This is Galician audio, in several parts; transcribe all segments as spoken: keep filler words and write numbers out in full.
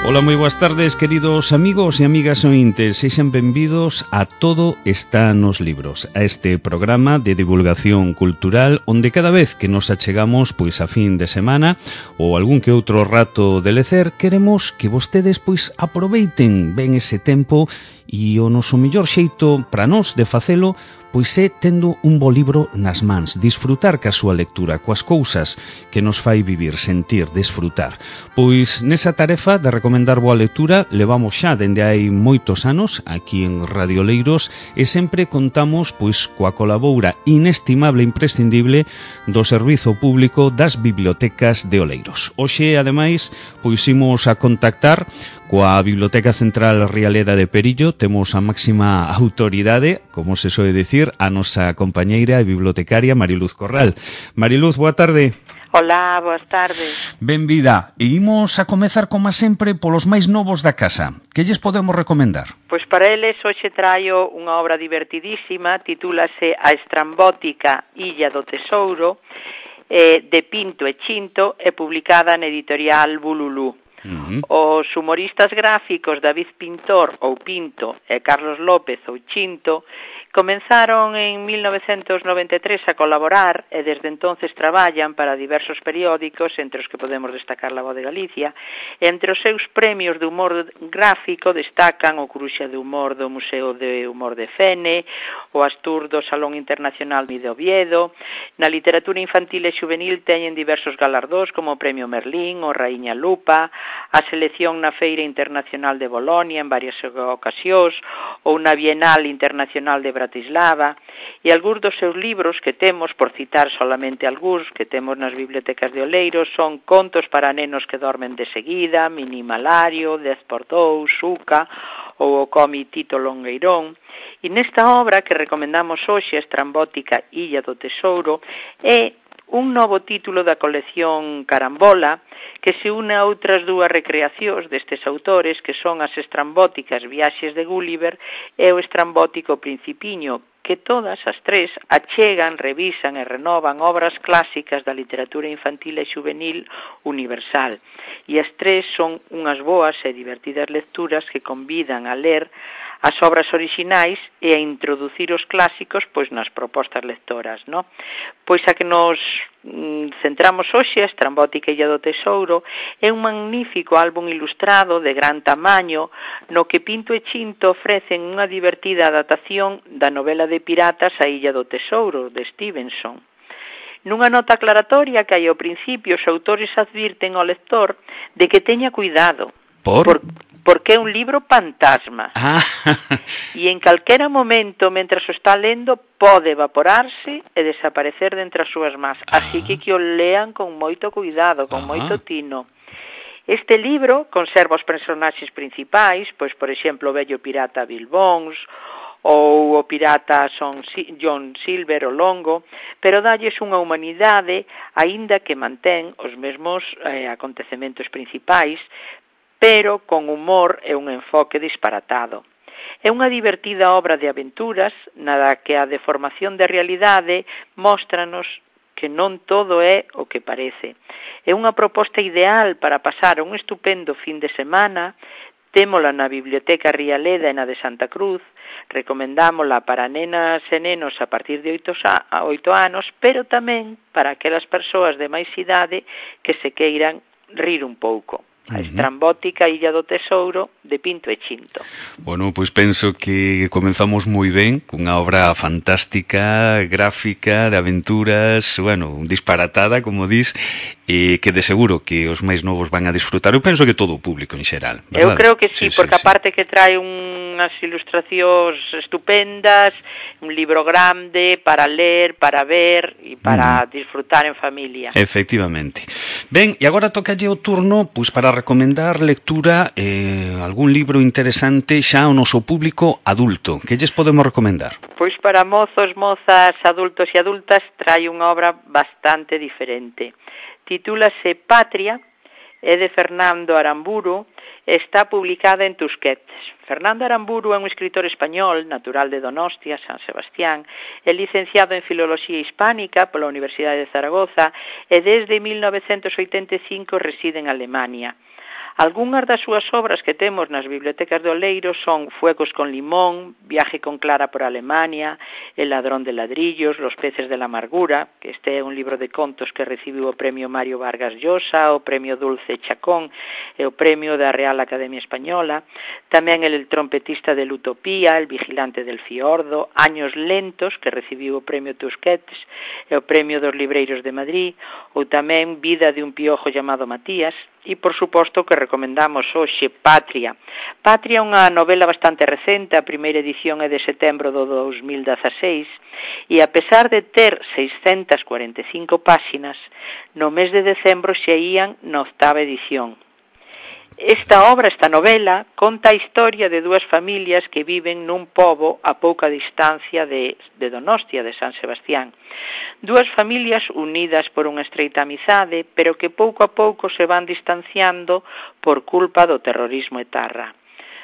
Ola, moi boas tardes, queridos amigos e amigas ointes. Sexan benvidos a Todo está nos libros, a este programa de divulgación cultural onde cada vez que nos achegamos pois a fin de semana ou algún que outro rato de lecer, queremos que vostedes pois aproveiten ben ese tempo e o noso mellor xeito para nós de facelo pois é tendo un bo libro nas mans, disfrutar ca súa lectura, coas cousas que nos fai vivir, sentir, desfrutar. Pois nesa tarefa de recomendar boa lectura levamos xa dende hai moitos anos aquí en Radio Oleiros e sempre contamos pois coa colaboura inestimable e imprescindible do Servizo Público das Bibliotecas de Oleiros. Hoxe, ademais, pois imos a contactar coa Biblioteca Central Rialeda de Perillo. Temos a máxima autoridade, como se soe dicir, a nosa compañeira e bibliotecaria Mariluz Corral. Mariluz, boa tarde. Hola, boas tardes. Benvida. E imos a comezar, como sempre, polos máis novos da casa. Que lles podemos recomendar? Pois para eles hoxe traio unha obra divertidísima, titúlase A estrambótica Illa do Tesouro, eh, de Pinto e Chinto, e publicada na editorial Bululú. Uh-huh. Os humoristas gráficos David Pintor ou Pinto e Carlos López ou Chinto comenzaron en mil novecentos noventa e tres a colaborar e desde entonces traballan para diversos periódicos, entre os que podemos destacar La Voz de Galicia. Entre os seus premios de humor gráfico destacan o Cruxa de Humor do Museo de Humor de Fene, o Astur do Salón Internacional de Oviedo. Na literatura infantil e juvenil teñen diversos galardóns como o Premio Merlín, o Raíña Lupa, a selección na Feira Internacional de Bolonia en varias ocasións, ou na Bienal Internacional de Bratislava, e algúns dos seus libros que temos, por citar solamente algúns, que temos nas bibliotecas de Oleiros, son Contos para nenos que dormen de seguida, Minimalario, Dez por dous, Suca, ou o cómic Tito Longueirón. E nesta obra que recomendamos hoxe, A estrambótica Illa do Tesouro, é un novo título da colección Carambola, que se une a outras dúas recreacións destes autores, que son as estrambóticas Viaxes de Gulliver e o estrambótico Principiño, que todas as tres achegan, revisan e renovan obras clásicas da literatura infantil e juvenil universal. E as tres son unhas boas e divertidas lecturas que convidan a ler as obras orixinais e a introducir os clásicos pois nas propostas lectoras, no? Pois a que nos mm, centramos hoxe, A estrambótica Illa do Tesouro, é un magnífico álbum ilustrado de gran tamaño no que Pinto e Chinto ofrecen unha divertida adaptación da novela de piratas A Illa do Tesouro, de Stevenson. Nunha nota aclaratoria que hai ao principio, os autores advirten ao lector de que teña cuidado. Por? Por porque é un libro fantasma. Ah. E en calquera momento, mentras o está lendo, pode evaporarse e desaparecer dentre as súas más. Así que que o lean con moito cuidado, con ah. moito tino. Este libro conserva os personaxes principais, pois, por exemplo, o vello pirata Bill Bones, ou o pirata Son John Silver o Longo, pero dalles unha humanidade, aínda que mantén os mesmos eh, acontecementos principais, pero con humor e un enfoque disparatado. É unha divertida obra de aventuras, nada que a deformación de realidade móstranos que non todo é o que parece. É unha proposta ideal para pasar un estupendo fin de semana. Témola na Biblioteca Rialeda e na de Santa Cruz, recomendámola para nenas e nenos a partir de oito anos, pero tamén para aquelas persoas de máis idade que se queiran rir un pouco. A estrambótica Illa do Tesouro, de Pinto e Chinto. Bueno, pois penso que comenzamos moi ben, cunha obra fantástica, gráfica, de aventuras, bueno, disparatada, como dis, e que de seguro que os máis novos van a disfrutar. Eu penso que todo o público en xeral, verdad? Eu creo que sí, sí porque sí, aparte sí. que trae unhas ilustracións estupendas, un libro grande para ler, para ver e para mm. disfrutar en familia. Efectivamente. Ben, e agora tocalle o turno pois para recomendar lectura, eh, algún libro interesante xa ao noso público adulto. Que lles podemos recomendar? Pois para mozos, mozas, adultos e adultas trae unha obra bastante diferente. Titúlase Patria, é de Fernando Aramburu, está publicada en Tusquets. Fernando Aramburu é un escritor español, natural de Donostia, San Sebastián, é licenciado en Filoloxía Hispánica pola Universidade de Zaragoza e desde mil novecentos oitenta e cinco reside en Alemania. Algúnas das súas obras que temos nas bibliotecas do Oleiro son Fuegos con limón, Viaje con Clara por Alemania, El ladrón de ladrillos, Los peces de la amargura, que este é un libro de contos que recibiu o premio Mario Vargas Llosa, o premio Dulce Chacón e o premio da Real Academia Española, tamén El trompetista de Utopía, El vigilante del fiordo, Años lentos, que recibiu o premio Tusquets e o premio dos libreiros de Madrid, ou tamén Vida de un piojo chamado Matías, e, por suposto, que recomendamos hoxe Patria. Patria é unha novela bastante recente, a primeira edición é de setembro do dos mil dezaseis, e a pesar de ter seiscentas cuarenta e cinco páxinas, no mes de decembro xa ían na octava edición. Esta obra, esta novela, conta a historia de dúas familias que viven nun pobo a pouca distancia de, de Donostia, de San Sebastián. Dúas familias unidas por unha estreita amizade, pero que pouco a pouco se van distanciando por culpa do terrorismo etarra.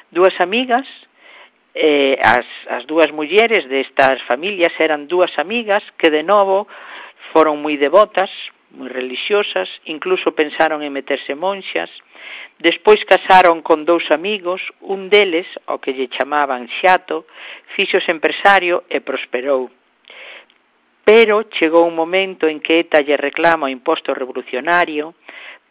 Dúas amigas, eh, as, as dúas mulleres destas familias eran dúas amigas que de novo foron moi devotas, moi religiosas, incluso pensaron en meterse monxas. Despois casaron con dous amigos, un deles, o que lle chamaban Xato, fíxose empresario e prosperou. Pero chegou un momento en que ETA lle reclama o imposto revolucionario,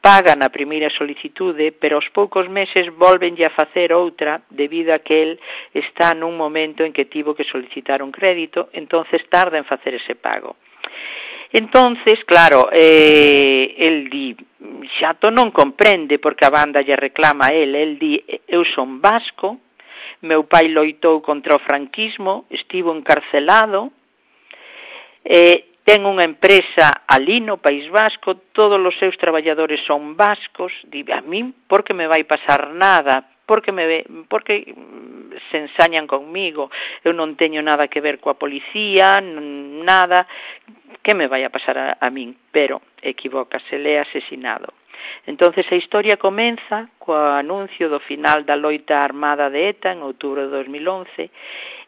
pagan a primeira solicitude, pero aos poucos meses volvenlle a facer outra debido a que el está nun momento en que tivo que solicitar un crédito, entonces tarda en facer ese pago. Entonces, claro, eh, el di, Xato non comprende porque a banda lle reclama a el, el di, eu son vasco, meu pai loitou contra o franquismo, estivo encarcelado, eh, ten unha empresa ali no País Vasco, todos os seus traballadores son vascos, di, a min, por que me vai pasar nada? Porque me porque se ensañan conmigo, eu non teño nada que ver coa policía, nada, que me vai a pasar a, a min, pero equivócase, le é asesinado. Entonces a historia comeza co anuncio do final da loita armada de ETA en outubro de dos mil once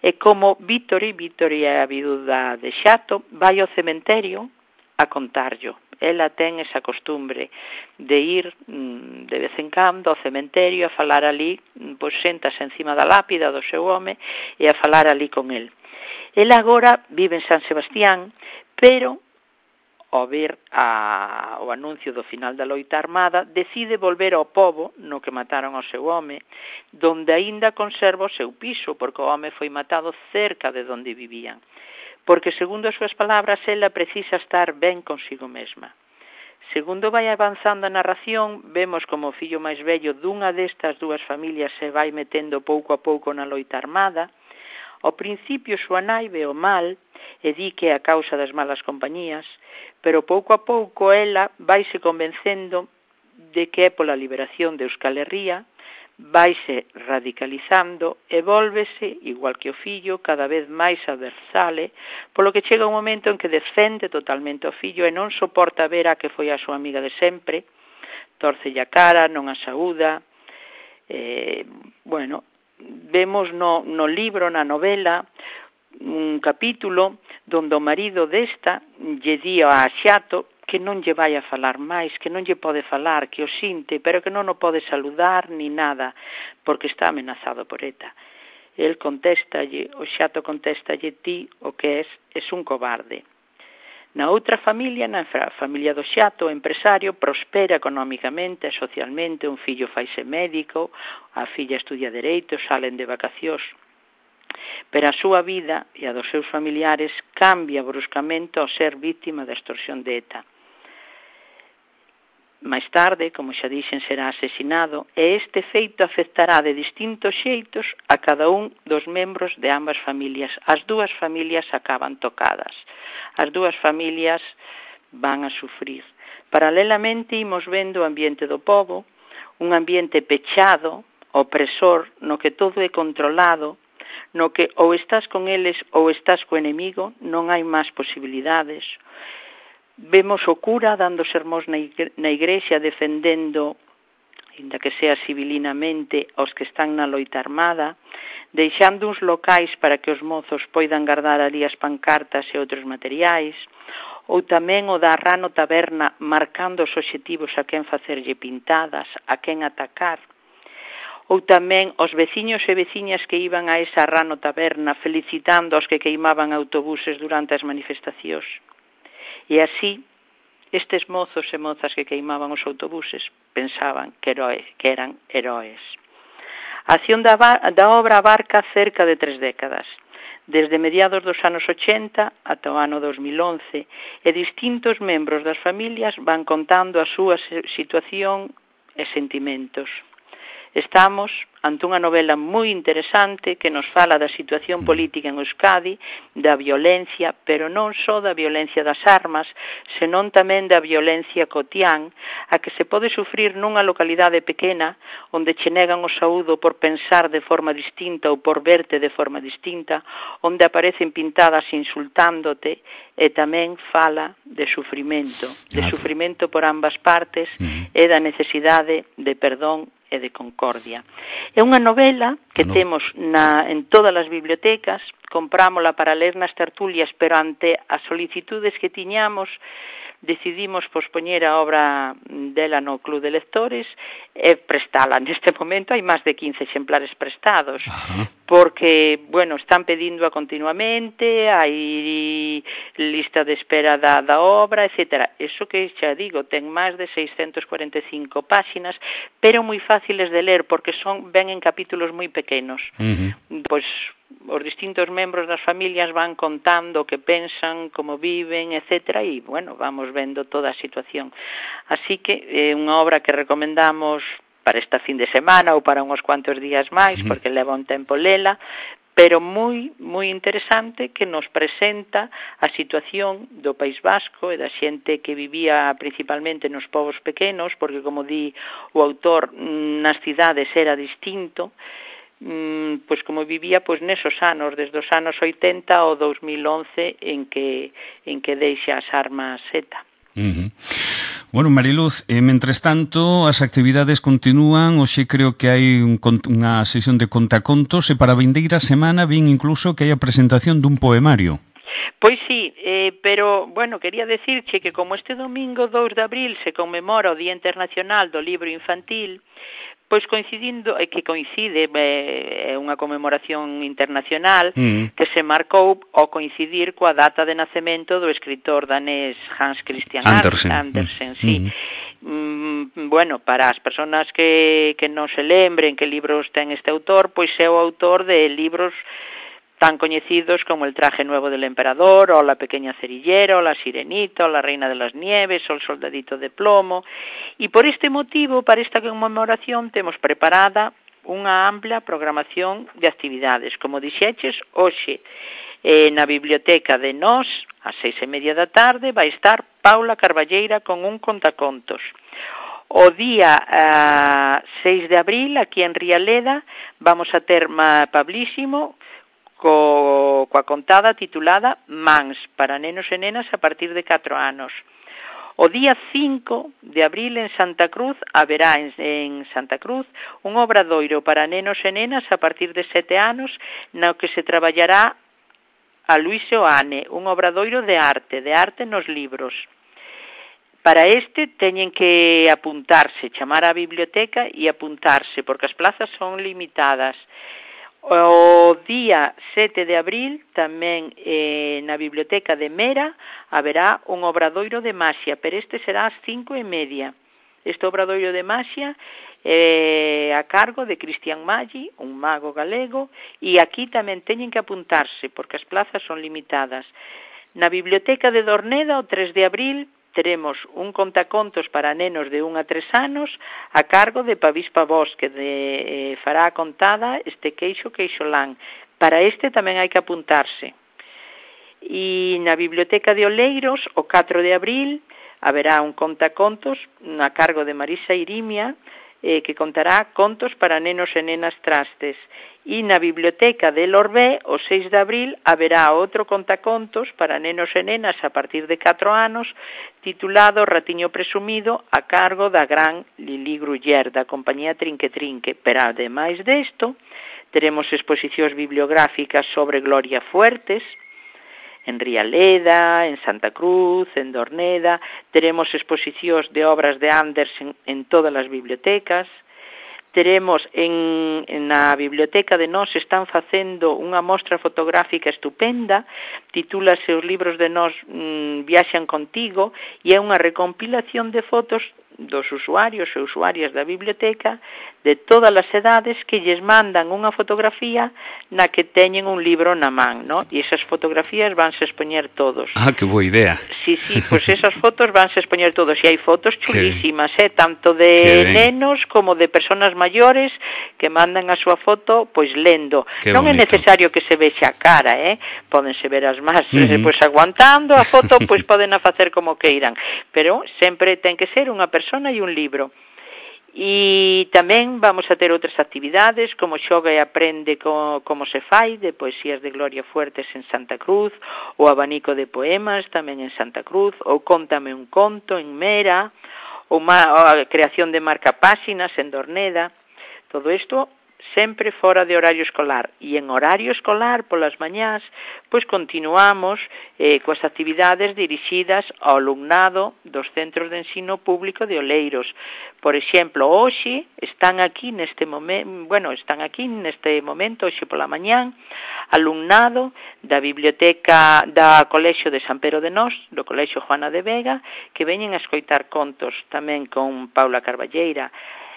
e como Vítori, Vítori é a viúda de Xato, vai ao cementerio a contarllo. Ela ten esa costumbre de ir de vez en cando ao cementerio a falar ali, pois séntase encima da lápida do seu home e a falar ali con el. Ela agora vive en San Sebastián, pero ao ver a, o anuncio do final da loita armada, decide volver ao pobo no que mataron ao seu home, donde aínda conserva o seu piso, porque o home foi matado cerca de donde vivían. Porque, segundo as súas palabras, ela precisa estar ben consigo mesma. Segundo vai avanzando a narración, vemos como o fillo máis vello dunha destas dúas familias se vai metendo pouco a pouco na loita armada. Ao principio, súa nai ve o mal e di que é a causa das malas compañías, pero pouco a pouco ela vaise convencendo de que é pola liberación de Euskal Herria, vaise radicalizando e vólvese, igual que o fillo, cada vez máis adversale, polo que chega un momento en que defende totalmente o fillo e non soporta ver a que foi a súa amiga de sempre, tórcelle a cara, non a saúda. Eh, bueno, vemos no, no libro, na novela, un capítulo donde o marido desta lle di a Xato que non lle vai a falar máis, que non lle pode falar, que o sinte, pero que non o pode saludar ni nada, porque está amenazado por ETA. El contéstalle, o Xato contéstalle, ti o que és, és un cobarde. Na outra familia, na familia do Xato, o empresario prospera económicamente e socialmente, un fillo faise médico, a filla estudia Dereito, salen de vacacións. Pero a súa vida e a dos seus familiares cambia bruscamente ao ser víctima da extorsión de ETA. Máis tarde, como xa dixen, será asesinado e este feito afectará de distintos xeitos a cada un dos membros de ambas familias. As dúas familias acaban tocadas. As dúas familias van a sufrir. Paralelamente, imos vendo o ambiente do pobo, un ambiente pechado, opresor, no que todo é controlado, no que ou estás con eles ou estás co enemigo, non hai máis posibilidades. Vemos o cura dando sermóns na igrexa defendendo, ainda que sea civilinamente, aos que están na loita armada, deixando uns locais para que os mozos poidan guardar ali as pancartas e outros materiais. ou tamén o da Rano Taberna marcando os obxectivos a quen facerlle pintadas, a quen atacar, ou tamén os veciños e veciñas que iban a esa Rano Taberna felicitando aos que queimaban autobuses durante as manifestacións. E así, estes mozos e mozas que queimaban os autobuses pensaban que, heroe, que eran heroes. A acción da, da obra abarca cerca de tres décadas, desde mediados dos anos ochenta ata o ano dos mil once, e distintos membros das familias van contando a súa situación e sentimentos. Estamos ante unha novela moi interesante que nos fala da situación política en Euskadi, da violencia, pero non só da violencia das armas, senón tamén da violencia cotián, a que se pode sufrir nunha localidade pequena, onde che negan o saúdo por pensar de forma distinta ou por verte de forma distinta, onde aparecen pintadas insultándote, e tamén fala de sufrimento, de sufrimento por ambas partes e da necesidade de perdón e de concordia. É unha novela que no. temos na, en todas as bibliotecas, comprámola para ler nas tertulias, pero ante as solicitudes que tiñamos, decidimos pospoñer a obra dela no Club de Lectores e prestala. Neste momento hai máis de quince exemplares prestados, Ajá. porque, bueno, están pedíndoa continuamente, hai lista de espera da, da obra, etcétera. Eso que xa digo, ten máis de seiscentas cuarenta e cinco páxinas, pero moi fáciles de ler, porque son ven en capítulos moi pequenos. Uh-huh. Pois os distintos membros das familias van contando o que pensan, como viven, etcétera, e, bueno, vamos vendo toda a situación. Así que é unha obra que recomendamos para esta fin de semana ou para uns cuantos días máis, uh-huh. porque leva un tempo lela, pero moi, moi interesante, que nos presenta a situación do País Vasco e da xente que vivía principalmente nos povos pequenos, porque, como di o autor, nas cidades era distinto, Mm, pois como vivía pois nesos anos, desde os anos oitenta ao dos mil once, en que en que deixa as armas ETA. Uh-huh. Bueno, Mariluz, eh, mentres tanto as actividades continúan. Hoxe creo que hai un, unha sesión de contacontos, e para a vindeira semana vin incluso que hai a presentación dun poemario. Pois sí, eh, pero, bueno, quería decirche que como este domingo dous de abril se conmemora o Día Internacional do Libro Infantil, pois coincidindo, é que coincide, é unha conmemoración internacional mm. que se marcou ao coincidir coa data de nacemento do escritor danés Hans Christian Andersen, Andersen mm. sí. Mm, bueno, para as persoas que, que non se lembren que libros ten este autor, pois é o autor de libros tan coñecidos como El traje nuevo del emperador, o La pequeña cerillera, o La sirenita, o La reina de las nieves, o El soldadito de plomo. E por este motivo, para esta conmemoración, temos preparada unha ampla programación de actividades. Como dixeches, hoxe eh, na biblioteca de Nós, ás seis e media da tarde, vai estar Paula Carballeira con un contacontos. O día uh, seis de abril, aquí en Rialeda, vamos a ter Pablísimo, Co, coa contada titulada Mans, para nenos e nenas a partir de catro anos. O día cinco de abril en Santa Cruz haberá en, en Santa Cruz un obradoiro para nenos e nenas a partir de sete anos, no que se traballará a Luis Oane, un obradoiro de arte, de arte nos libros. Para este teñen que apuntarse, chamar á biblioteca e apuntarse, porque as plazas son limitadas. O día sete de abril, tamén eh, na biblioteca de Mera, haberá un obradoiro de maxia, pero este será ás cinco e media. Este obradoiro de maxia é eh, a cargo de Cristian Maggi, un mago galego, e aquí tamén teñen que apuntarse, porque as plazas son limitadas. Na biblioteca de Dorneda, o tres de abril, teremos un contacontos para nenos de un a tres anos a cargo de Pavispa Bosque, de, eh, fará a contada este queixo queixolán. Para este tamén hai que apuntarse. E na biblioteca de Oleiros, o catro de abril, haberá un contacontos a cargo de Marisa Irimia, eh, que contará contos para nenos e nenas trastes. E na biblioteca de Lorbé, o seis de abril, haberá outro contacontos para nenos e nenas a partir de catro anos, titulado Ratiño presumido, a cargo da gran Lili Gruller, da compañía Trinque Trinque. Pero, ademais desto, teremos exposicións bibliográficas sobre Gloria Fuertes, en Rialeda, en Santa Cruz, en Dorneda. Teremos exposicións de obras de Andersen en todas as bibliotecas. Teremos en, en na biblioteca de nós están facendo unha mostra fotográfica estupenda, titúlase Os libros de nós mm, viaxan contigo, e é unha recompilación de fotos dos usuarios e usuarias da biblioteca de todas as edades que lles mandan unha fotografía na que teñen un libro na man, ¿no? E esas fotografías vanse expoñer todos. Ah, que boa idea. Sí, sí, pois pues esas fotos vanse expoñer todos, e hai fotos chulísimas, eh, tanto de nenos como de personas maiores que mandan a súa foto pois lendo. Qué non bonito. É necesario que se vexa a cara, eh? Pódense ver as más uh -huh. pois aguantando a foto, pois poden a facer como queiran, pero sempre ten que ser unha persona e un libro. E tamén vamos a ter outras actividades como xoga e aprende co, como se fai de poesías de Gloria Fuertes en Santa Cruz, o abanico de poemas tamén en Santa Cruz, ou Cóntame un conto en Mera, ou a creación de marcapáxinas en Dorneda. Todo isto sempre fora de horario escolar, e en horario escolar polas mañás pois continuamos eh, coas actividades dirixidas ao alumnado dos centros de ensino público de Oleiros. Por exemplo, hoxe están aquí neste momento, bueno, están aquí neste momento, hoxe pola mañán, alumnado da biblioteca da Colexio de San Pedro de Nós, do Colexio Juana de Vega, que veñen a escoitar contos tamén con Paula Carballeira.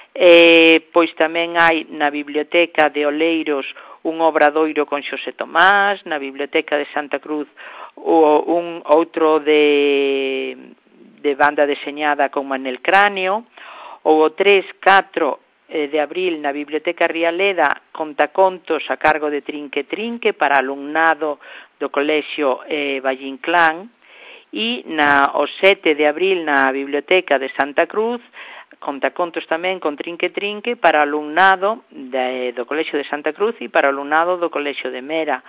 Eh, pois tamén hai na biblioteca de Oleiros un obradoiro con Xosé Tomás, na biblioteca de Santa Cruz o un outro de, de banda deseñada con Manel Cráneo, ou o tres catro de abril na biblioteca Rialeda contacontos a cargo de Trinque Trinque para alumnado do colexio eh, Valle Inclán, e na, o sete de abril na biblioteca de Santa Cruz contacontos tamén con Trinque Trinque para alumnado de, do Colexio de Santa Cruz e para alumnado do Colexio de Mera.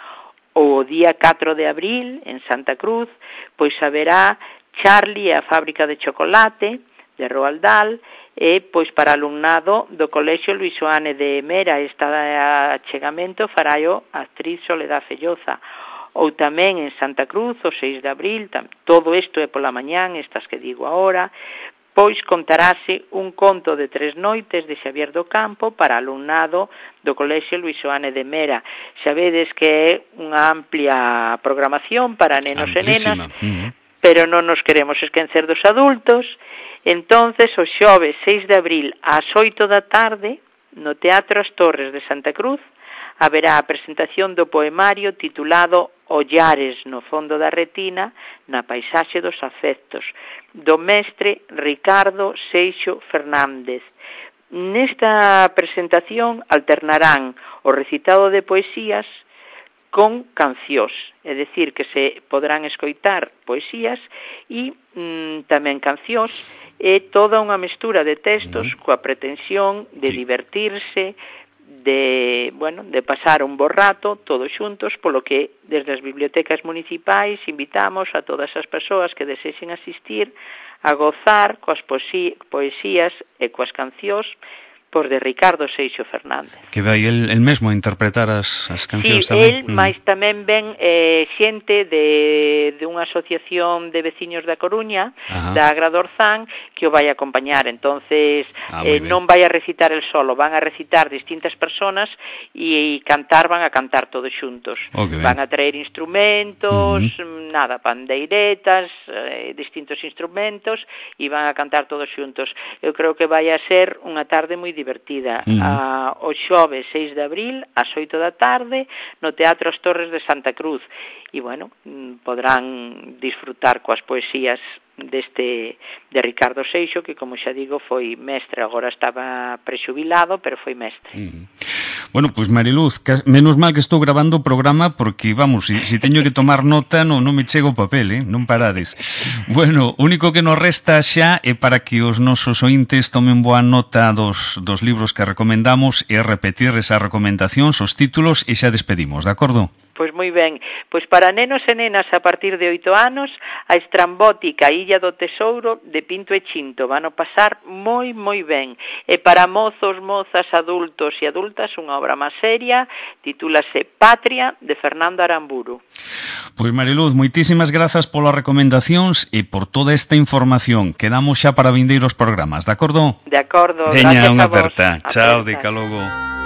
O día catro de abril, en Santa Cruz, pois haberá Charlie e a fábrica de chocolate de Roaldal, e pois para alumnado do Colexio Luis Oane de Mera. Este achegamento faráio a actriz Soledad Felloza. Ou tamén en Santa Cruz, o seis de abril, todo isto é pola mañán, estas que digo agora, pois contarase un conto de tres noites de Xavier do Campo para alumnado do Colexio Luis Oane de Mera. Sabedes que é unha amplia programación para nenos Amplísima. e nenas, uh-huh. pero non nos queremos esquecer dos adultos. Entonces, o xoves seis de abril ás oito da tarde, no Teatro As Torres de Santa Cruz, haberá a presentación do poemario titulado Ollares no fondo da retina, na paisaxe dos afectos, do mestre Ricardo Seixo Fernández. Nesta presentación alternarán o recitado de poesías con cancións, é dicir, que se poderán escoitar poesías e mm, tamén cancións, e toda unha mestura de textos coa pretensión de divertirse, de, bueno, de pasar un bo rato todos xuntos, polo que desde as bibliotecas municipais invitamos a todas as persoas que desexen asistir a gozar coas poesías e coas cancións pois de Ricardo Seixo Fernández. Que vai el, el mesmo a interpretar as, as cancións sí, tamén? Sí, el, mm. máis tamén ven eh, xente de, de unha asociación de veciños da Coruña, Ajá. da Agradorzán, que o vai a acompañar. Entonces, ah, eh, non vai a recitar el solo, van a recitar distintas personas e, e cantar, van a cantar todos xuntos. Oh, van a traer instrumentos, uh-huh. nada, pandeiretas, eh, distintos instrumentos, e van a cantar todos xuntos. Eu creo que vai a ser unha tarde moi divertida. Uh-huh. A, o xoves seis de abril ás oito da tarde no Teatro As Torres de Santa Cruz, e bueno, podrán disfrutar coas poesías deste de Ricardo Seixo, que como xa digo foi mestre, agora estaba prexubilado, pero foi mestre. Mm. Bueno, pois pues, Mariluz, menos mal que estou grabando o programa, porque vamos, se si, si teño que tomar nota non, non me chega o papel, eh? Non parades. Bueno, o único que nos resta xa é para que os nosos ointes tomen boa nota dos, dos libros que recomendamos e repetir esas recomendacións, os títulos, e xa despedimos, de acordo? Pois moi ben, pois para nenos e nenas a partir de oito anos, a estrambótica Illa do Tesouro de Pinto e Chinto van a pasar moi moi ben. E para mozos, mozas, adultos e adultas, unha obra máis seria, titúlase Patria, de Fernando Aramburu. Pois Mariluz, moitísimas grazas polas recomendacións e por toda esta información. Quedamos xa para vindeiros programas, de acordo? De acordo, Veña, gracias unha a vos. aperta. Chao, de logo.